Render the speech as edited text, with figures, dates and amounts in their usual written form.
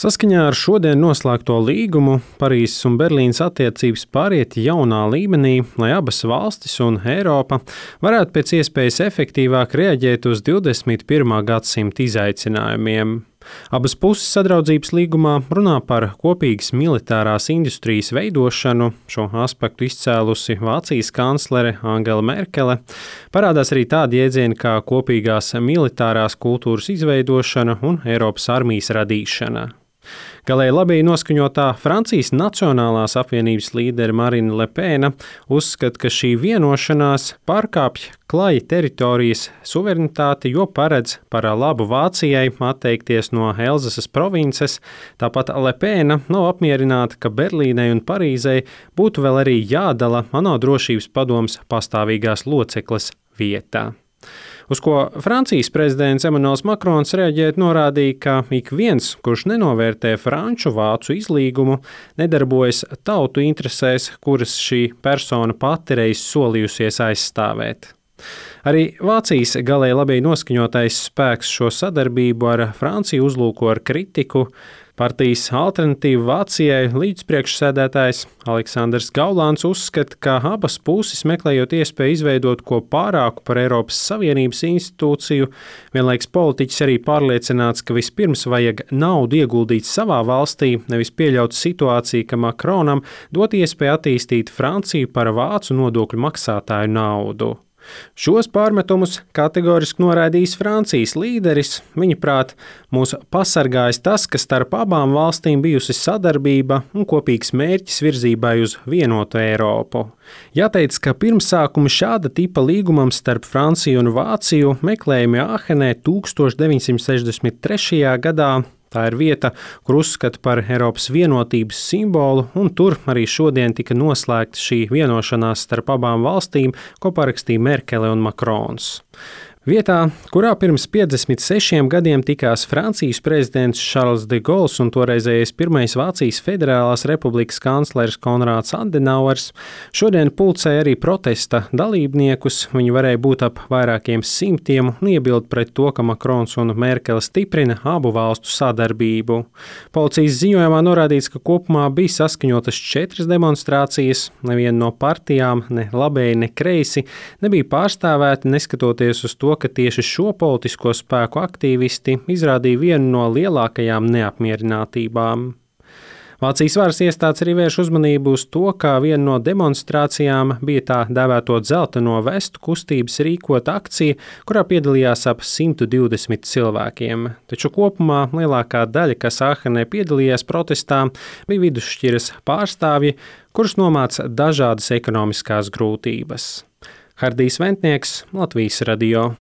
Saskaņā ar šodien noslēgto līgumu Parīzes un Berlīnes attiecības pāriet jaunā līmenī, lai abas valstis un Eiropa varētu pēc iespējas efektīvāk reaģēt uz 21. gadsimta izaicinājumiem. Abas puses sadraudzības līgumā runā par kopīgas militārās industrijas veidošanu, šo aspektu izcēlusi Vācijas kanclere Angela Merkele. Parādās arī tādi jēdzieni kā kopīgās militārās kultūras izveidošana un Eiropas armijas radīšana. Galēji labēji noskaņotā Francijas Nacionālās apvienības līdere Marine Le Pen uzskata, ka šī vienošanās pārkāpj klaja teritorijas suverenitāti, jo paredz par labu Vācijai atteikties no Elzasas provinces. Tāpat Le Pen nav apmierināta, ka Berlīnei un Parīzei būtu vēl arī jādala ANO drošības padomes pastāvīgās locekles vietā. Uz ko Francijas prezidents Emmanuels Macrons reaģēt norādīja, ka ik viens, kurš nenovērtē franču-vācu izlīgumu, nedarbojas tautu interesēs, kuras šī persona pati reiz solījusies aizstāvēt. Arī Vācijas galēji labēji noskaņotais spēks šo sadarbību ar Franciju uzlūko ar kritiku. Partijas Alternatīva Vācijai līdzpriekšsēdētājs Aleksandrs Gaulāns uzskata, ka abas puses meklējot iespēju izveidot ko pārāku par Eiropas Savienības institūciju, vienlaiks politiķis arī pārliecināts, ka vispirms vajag naudu ieguldīt savā valstī, nevis pieļaut situāciju, ka Macronam dot iespēju attīstīt Franciju par vācu nodokļu maksātāju naudu. Šos pārmetumus kategoriski noraidījis Francijas līderis. Viņa prāt, mūs pasargājis tas, ka starp abām valstīm bijusi sadarbība un kopīgs mērķis virzībai uz vienotu Eiropu. Jāteic, ka pirmsākumi šāda tipa līgumam starp Franciju un Vāciju meklējami Āhenē 1963. gadā. Tā ir vieta, kur uzskata par Eiropas vienotības simbolu, un tur arī šodien tika noslēgta šī vienošanās starp abām valstīm, ko parakstīja Merkele un Macrons. Vietā, kurā pirms 56 gadiem tikās Francijas prezidents Charles de Gaulle un toreizējais pirmais Vācijas Federālās Republikas kanclers Konrāds Adenauers, šodien pulcēja arī protesta dalībniekus. Viņi varēja būt ap vairākiem simtiem un iebild pret to, ka Macrons un Merkele stiprina abu valstu sadarbību. Policijas ziņojumā norādīts, ka kopumā bija saskaņotas 4 demonstrācijas. Neviena no partijām, ne labēji, ne kreisi, nebija pārstāvēti, neskatoties uz to, ka tieši šo politisko spēku aktīvisti izrādīja vienu no lielākajām neapmierinātībām. Vācijas varas iestādes arī vērš uzmanību uz to, ka viena no demonstrācijām bija tā dēvēto dzelteno vestu kustības rīkota akcija, kurā piedalījās ap 120 cilvēkiem. Taču kopumā lielākā daļa, kas Āhenē piedalījās protestā, bija vidusšķiras pārstāvji, kurus nomāca dažādas ekonomiskās grūtības. Hardijs Ventnieks, Latvijas radio.